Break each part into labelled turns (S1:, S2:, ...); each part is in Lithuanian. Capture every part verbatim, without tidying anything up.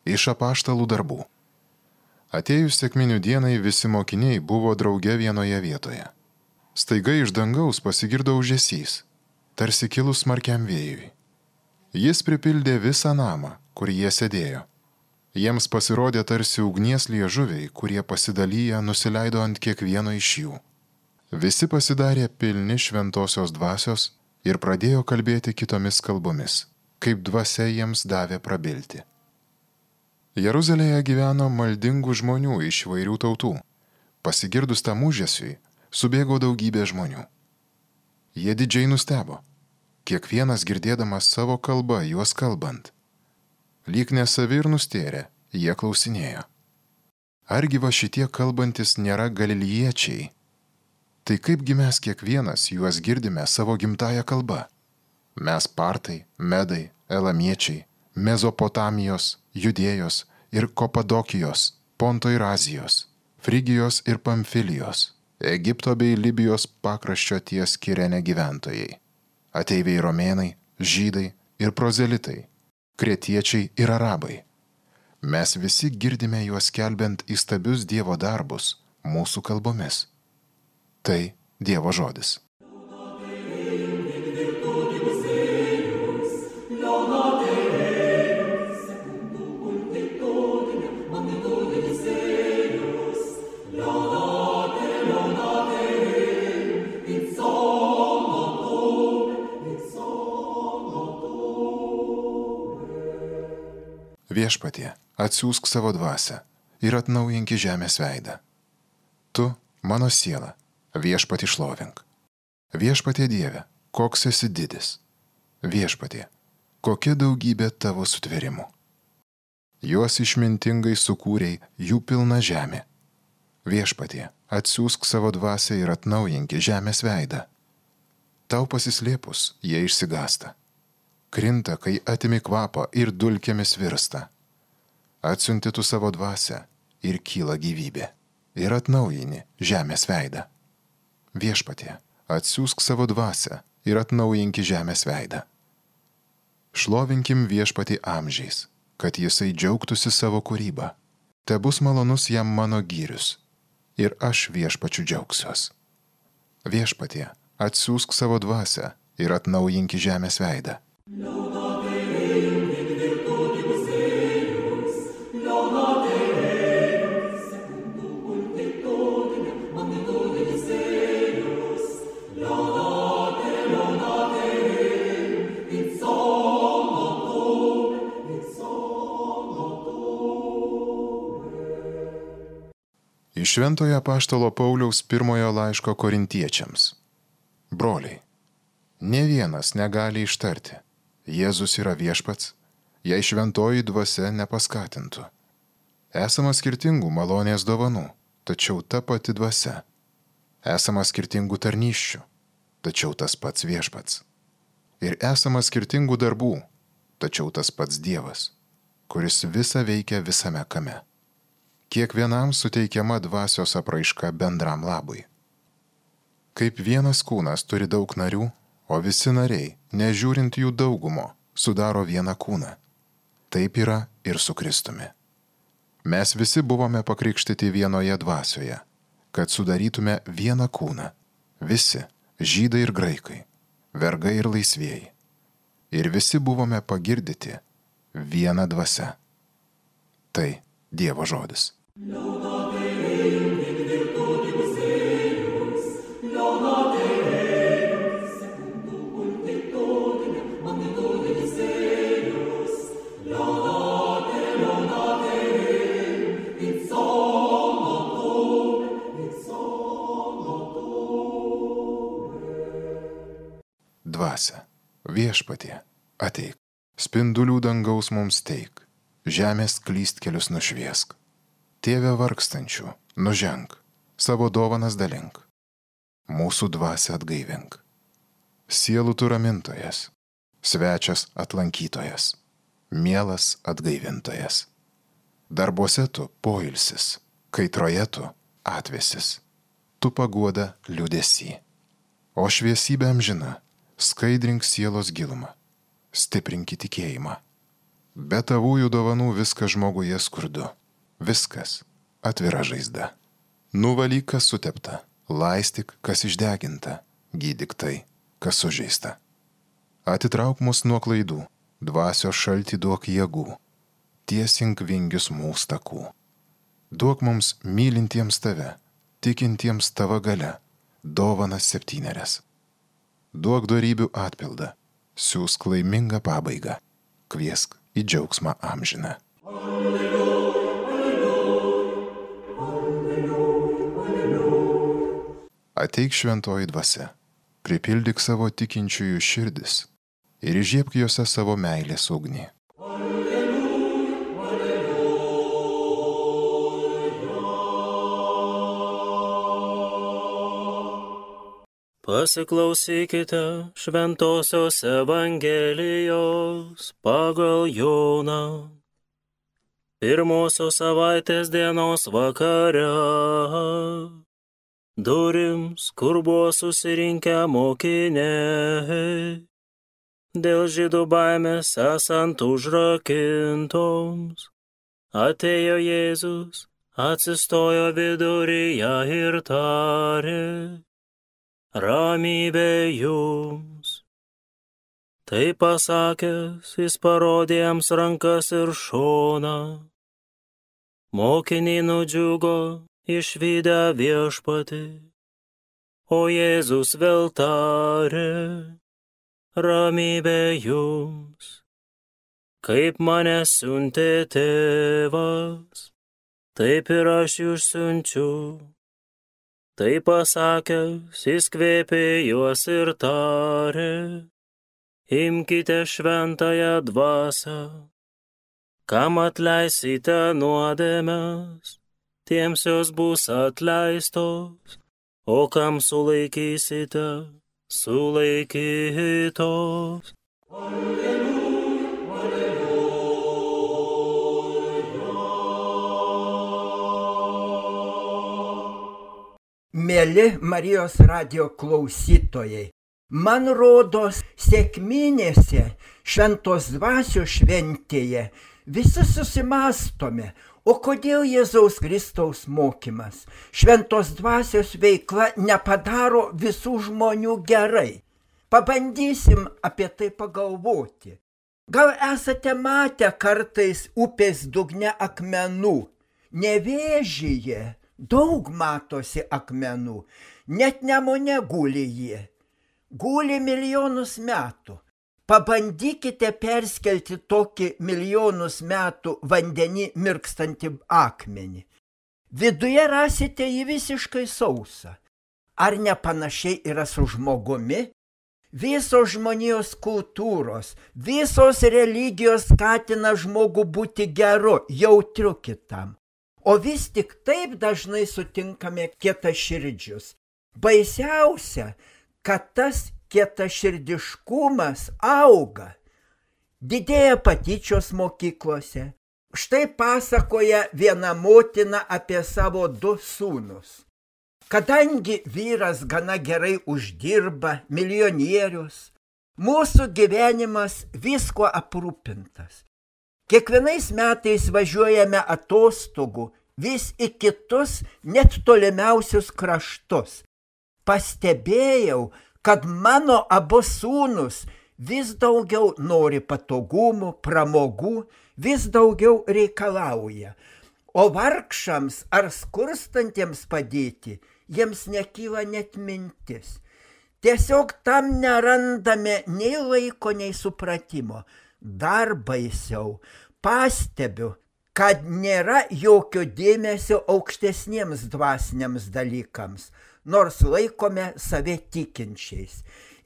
S1: Iš apaštalų darbų. Atėjus sekminių dienai visi mokiniai buvo drauge vienoje vietoje. Staiga iš dangaus pasigirdo ūžesys, tarsi kilus smarkiam vėjui. Jis pripildė visą namą, kur jie sėdėjo. Jiems pasirodė tarsi ugnies liežuviai, kurie pasidalyję nusileido ant kiekvieno iš jų. Visi pasidarė pilni šventosios dvasios ir pradėjo kalbėti kitomis kalbomis, kaip dvasia jiems davė prabilti. Jeruzalėje gyveno maldingų žmonių iš įvairių tautų. Pasigirdus tam ūžesiui, subėgo daugybė žmonių. Jie didžiai nustebo, kiekvienas girdėdamas savo kalbą juos kalbant. Lyg nesavi ir nustėrė, jie klausinėjo. Argi va šitie kalbantis nėra galiliečiai? Tai kaipgi mes kiekvienas juos girdime savo gimtąją kalbą? Mes partai, medai, elamiečiai, Mezopotamijos, Judėjos ir Kopadokijos, Ponto ir Azijos, Frigijos ir Pamfilijos, Egipto bei Libijos pakraščio ties Kirene gyventojai, ateiviai romėnai, žydai ir prozelitai, kretiečiai ir arabai. Mes visi girdime juos skelbiant įstabius Dievo darbus mūsų kalbomis. Tai Dievo žodis. Viešpatie, atsiųsk savo dvasią ir atnaujinki žemės veidą. Tu, mano siela, viešpatie šlovink. Viešpatie Dieve, koks esi didis. Viešpatie, kokia daugybė tavo sutvėrimų. Juos išmintingai sukūrei, jų pilna žemė. Viešpatie, atsiųsk savo dvasią ir atnaujinki žemės veidą. Tau pasislėpus, jie išsigąsta. Krinta, kai atimi kvapą ir dulkėmis virsta. Atsiunti tu savo dvasią ir kyla gyvybė ir atnaujini žemės veidą. Viešpatie, atsiųsk savo dvasią ir atnaujinki žemės veidą. Šlovinkim viešpatį amžiais, kad jisai džiaugtųsi savo kūrybą. Te bus malonus jam mano gyrius ir aš viešpačiu džiaugsiuos. Viešpatie, atsiųsk savo dvasią ir atnaujinki žemės veidą. Iš Šventojo apaštalo Pauliaus pirmojo laiško korintiečiams. Broliai, nė vienas negali ištarti, Jėzus yra viešpats, jei šventoji dvasia nepaskatintų. Esama skirtingų malonės dovanų, tačiau ta pati dvasia. Esama skirtingų tarnysčių, tačiau tas pats viešpats. Ir esama skirtingų darbų, tačiau tas pats Dievas, kuris visą veikia visame kame. Kiekvienam suteikiama dvasios apraiška bendram labui. Kaip vienas kūnas turi daug narių, o visi nariai, nežiūrint jų daugumo, sudaro vieną kūną. Taip yra ir su Kristumi. Mes visi buvome pakrikštyti vienoje dvasioje, kad sudarytume vieną kūną. Visi, žydai ir graikai, vergai ir laisvieji. Ir visi buvome pagirdyti vieną dvasią. Tai Dievo žodis. Dvasia, viešpatie, ateik, spindulių dangaus mums teik, žemės klystkelius nušviesk. Tėve vargstančių, nuženk, savo dovanas dalink, mūsų dvasią atgaivink. Sielų tu ramintojas, svečias atlankytojas, mielas atgaivintojas. Darbuose tu poilsis, kaitroje tu atvėsis, tu paguoda liūdesį. O šviesybė amžina, skaidrink sielos gilumą, stiprink tikėjimą. Be tavųjų dovanų viskas žmoguje skurdu. Viskas atvira žaizda. Nuvalyk, kas sutepta, laistyk, kas išdeginta, gydyk tai, kas sužeista. Atitrauk mus nuo klaidų, dvasios šaltį duok jėgų, tiesink vingius mūsų takų. Duok mums mylintiems tave, tikintiems tavo galia, dovanas septynerias. Duok dorybių atpildą, siūsk laimingą pabaigą, kviesk į džiaugsmą amžiną. Ateik šventoji dvasia, pripildyk savo tikinčiųjų širdis ir įžiebk juose savo meilės ugnį.
S2: Pasiklausykite šventosios Evangelijos pagal Joną. Pirmosios savaitės dienos vakare durims, kur buvo susirinkę mokiniai, dėl žydų baimės esant užrakintoms, atėjo Jėzus, atsistojo viduryje ir tarė: ramybė jums. Tai pasakęs, jis parodė jiems rankas ir šoną. Mokiniai nudžiugo išvydę viešpatį, o Jėzus vėl tarė: ramybė jums. Kaip mane siuntė tėvas, taip ir aš jūs siunčiu. Tai pasakęs, jis kvėpė juos ir tarė: imkite šventąją dvasią. Kam atleisite nuodėmes, tiems jos bus atleistos, o kam sulaikysite, sulaikytos.
S3: Mėly Marijos radijo klausytojai, man rodos, sekminėse, šventos dvasios šventėje visi susimąstome, o kodėl Jėzaus Kristaus mokymas, šventos dvasios veikla nepadaro visų žmonių gerai. Pabandysim apie tai pagalvoti. Gal esate matę kartais upės dugne akmenų? Nevėžyje daug matosi akmenų, net Nemune guli jie. Guli milijonus metų. Pabandykite perskelti tokį milijonus metų vandenį mirkstantį akmenį. Viduje rasite jį visiškai sausą. Ar nepanašiai yra su žmogumi? Visos žmonijos kultūros, visos religijos skatina žmogų būti geru, jautriu kitam. O vis tik taip dažnai sutinkame kietaširdžius. Baisiausia, kad tas kietaširdiškumas auga. Didėja patyčios mokyklose. Štai pasakoja viena motina apie savo du sūnus. Kadangi vyras gana gerai uždirba, milijonierius, mūsų gyvenimas visko aprūpintas. Kiekvienais metais važiuojame atostogų vis į kitus, net tolimiausius kraštus. Pastebėjau, kad mano abu sūnus vis daugiau nori patogumų, pramogų, vis daugiau reikalauja. O vargšams ar skurstantiems padėti, jiems nekyla net mintis. Tiesiog tam nerandame nei laiko, nei supratimo. Dar baisiau, pastebiu, kad nėra jokio dėmesio aukštesniems dvasiniams dalykams, nors laikome save tikinčiais.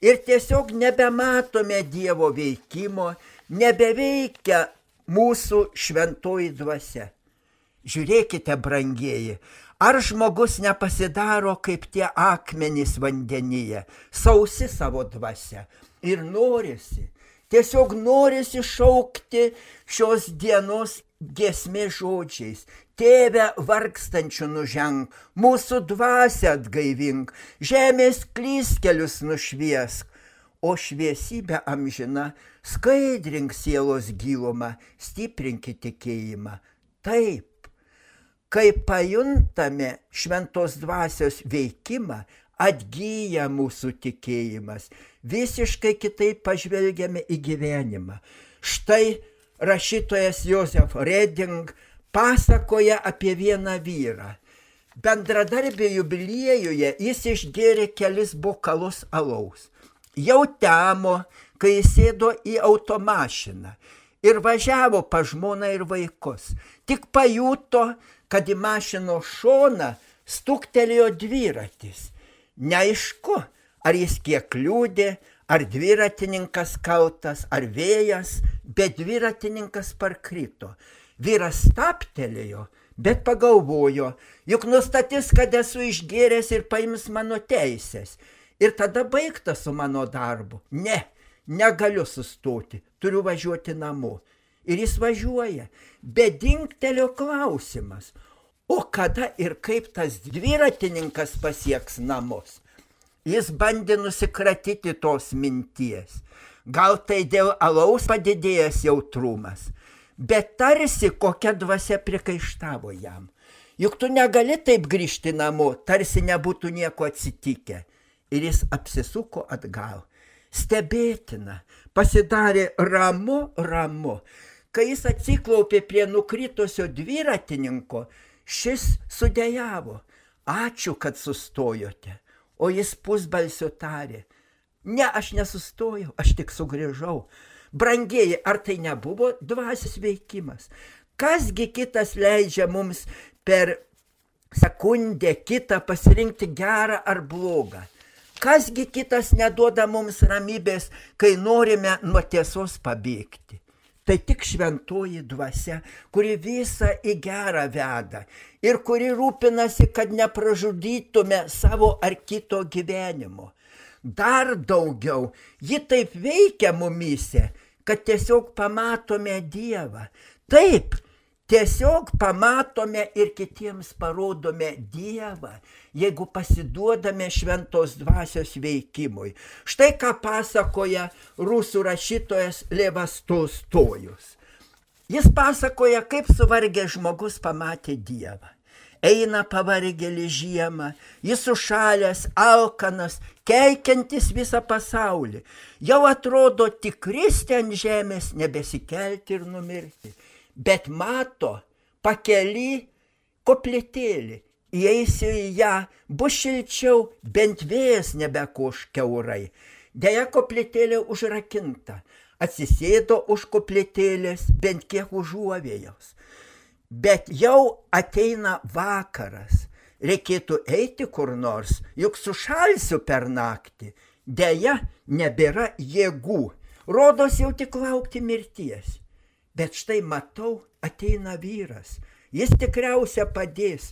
S3: Ir tiesiog nebematome Dievo veikimo, nebeveikia mūsų šventoji dvasia. Žiūrėkite, brangieji, ar žmogus nepasidaro kaip tie akmenys vandenyje, sausi savo dvasia ir norisi. Tiesiog norisi šaukti šios dienos giesmės žodžiais. Tėve vargstančių nuženk, mūsų dvasią atgaivink, žemės klystkelius nušviesk. o šviesybė amžina skaidrink sielos gilumą, stiprinkit tikėjimą. Taip, kai pajuntame šventos dvasios veikimą, atgyja mūsų tikėjimas, visiškai kitaip pažvelgiame į gyvenimą. Štai rašytojas Josef Reding pasakoja apie vieną vyrą. Bendradarbė jubiliejuje jis išgėrė kelis bokalus alaus. Jau temo, kai jis sėdo į automašiną ir važiavo pa žmoną ir vaikus. Tik pajuto, kad į mašinos šoną stuktelėjo dviratis. Neaišku, ar jis kiek liūdė, ar dviratininkas kaltas, ar vėjas, bet dviratininkas parkrito. Vyras stabtelėjo, bet pagalvojo, juk nustatys, kad esu išgėręs ir paims mano teisės. Ir tada baigta su mano darbu. Ne, negaliu sustoti, turiu važiuoti namo. Ir jis važiuoja, bet dingtelio klausimas. O kada ir kaip tas dviratininkas pasieks namus? Jis bandė nusikratyti tos minties. Gal tai dėl alaus padidėjęs jautrumas, bet tarsi kokia dvasia prikaištavo jam. Juk tu negali taip grįžti namo, tarsi nebūtų nieko atsitikę. Ir jis apsisuko atgal. Stebėtina, pasidarė ramu, ramu. Kai jis atsiklaupė prie nukritusio dviratininko, šis sudejavo. Ačiū, kad sustojote. O jis pusbalsiu tarė. Ne, aš nesustojau, aš tik sugrįžau. Brangieji, ar tai nebuvo dvasios veikimas? Kasgi kitas leidžia mums per sekundę kitą pasirinkti gerą ar blogą? Kasgi kitas neduoda mums ramybės, kai norime nuo tiesos pabėgti? Tai tik šventoji dvasia, kuri visą į gerą veda ir kuri rūpinasi, kad nepražudytume savo ar kito gyvenimo. Dar daugiau, ji taip veikia mumyse, kad tiesiog pamatome Dievą. Taip, tiesiog pamatome ir kitiems parodome Dievą, jeigu pasiduodame šventos dvasios veikimui. Štai ką pasakoja rusų rašytojas Levas Tolstojus. Jis pasakoja, kaip suvargęs žmogus pamatė Dievą. Eina pavargėlį žiemą, jis sušalęs, alkanas, keikiantis visą pasaulį. Jau atrodo tik kristi ant žemės, nebesikelti ir numirti. Bet mato pakely koplytėlį. Įeisiu į ją, bus šilčiau, bent vėjas nebekoš kiaurai. Deja, koplytėlė užrakinta. Atsisėdo už koplytėlės, bent kiek užuovėjos. Bet jau ateina vakaras. Reikėtų eiti kur nors, juk sušalsiu per naktį. Deja, nebėra jėgų. Rodos jau tik laukti mirties. Bet štai matau, ateina vyras. Jis tikriausia padės.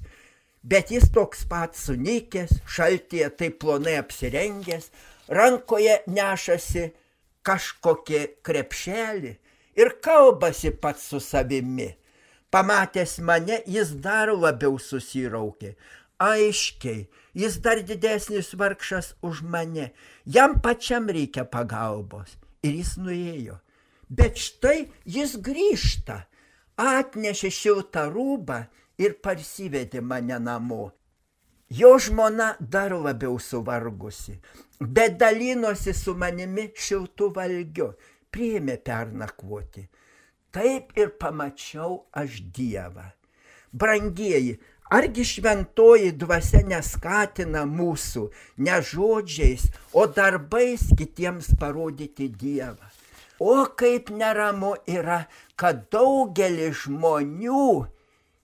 S3: Bet jis toks pat sunikęs, šaltyje taip plonai apsirengęs, rankoje nešasi kažkokie krepšelį ir kalbasi pats su savimi. Pamatęs mane, jis dar labiau susiraukė. Aiškiai, jis dar didesnis vargšas už mane. Jam pačiam reikia pagalbos. Ir jis nuėjo. Bet štai jis grįžta. Atnešė šiltą rūbą ir parsivedė mane namo. Jo žmona dar labiau suvargusi, bet dalinosi su manimi šiltu valgiu, priėmė pernakvoti. Taip ir pamačiau aš Dievą. Brangieji, argi šventoji dvasia neskatina mūsų ne žodžiais, o darbais kitiems parodyti Dievą? O kaip neramu yra, kad daugelis žmonių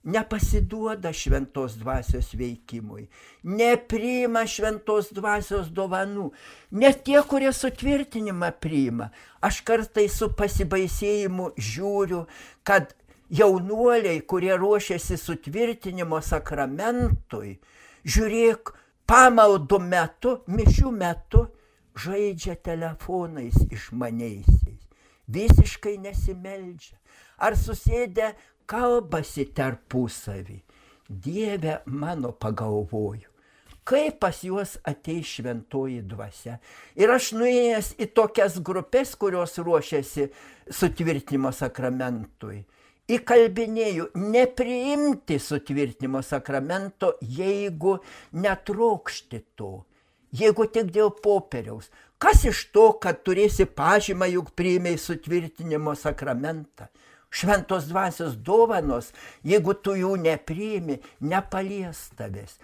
S3: nepasiduoda šventos dvasios veikimui, nepriima šventos dvasios dovanų, net tie, kurie sutvirtinimą priima. Aš kartais su pasibaisėjimu žiūriu, kad jaunuoliai, kurie ruošiasi sutvirtinimo sakramentui, žiūrėk, pamaldų metu, mišių metu, žaidžia telefonais išmaniaisiais, visiškai nesimeldžia. Ar susėdę kalbasi tarpusavį. Dieve mano, pagalvoju, kaip pas juos ateis šventoji dvasia. Ir aš nuėjęs į tokias grupės, kurios ruošiasi sutvirtinimo sakramentui, įkalbinėjau nepriimti sutvirtinimo sakramento, jeigu netrokšti to, jeigu tik dėl popieriaus. Kas iš to, kad turėsi pažymą, juk priėmei sutvirtinimo sakramentą? Šventos dvasios dovanos, jeigu tu jų nepriimi, nepalies tavęs.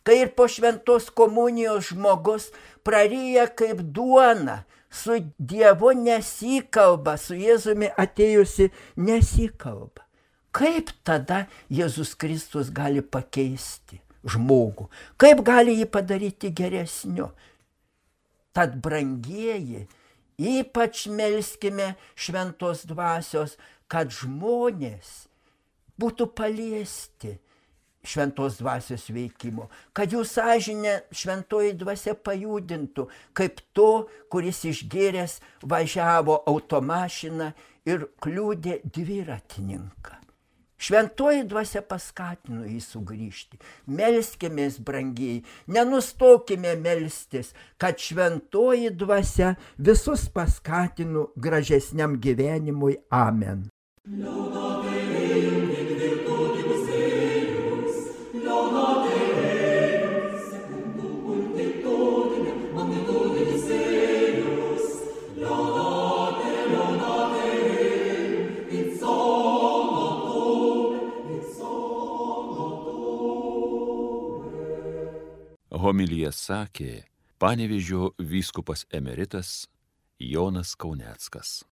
S3: Kai ir po šventos komunijos žmogus praryja kaip duona, su Dievu nesikalba, su Jėzumi atėjusi nesikalba. Kaip tada Jėzus Kristus gali pakeisti žmogų? Kaip gali jį padaryti geresniu? Tad, brangieji, ypač melskime šventos dvasios, kad žmonės būtų paliesti šventos dvasios veikimo, kad jų sąžinė šventoji dvasia pajudintų, kaip to, kuris išgėręs važiavo automašiną ir kliudė dviratininką. Šventoji dvasia paskatino jį sugrįžti. Melskimės, brangiai, nenustokime melstis, kad šventoji dvasia visus paskatino gražesniam gyvenimui. Amen.
S4: Homiliją sakė Panevėžio vyskupas emeritas Jonas Kauneckas.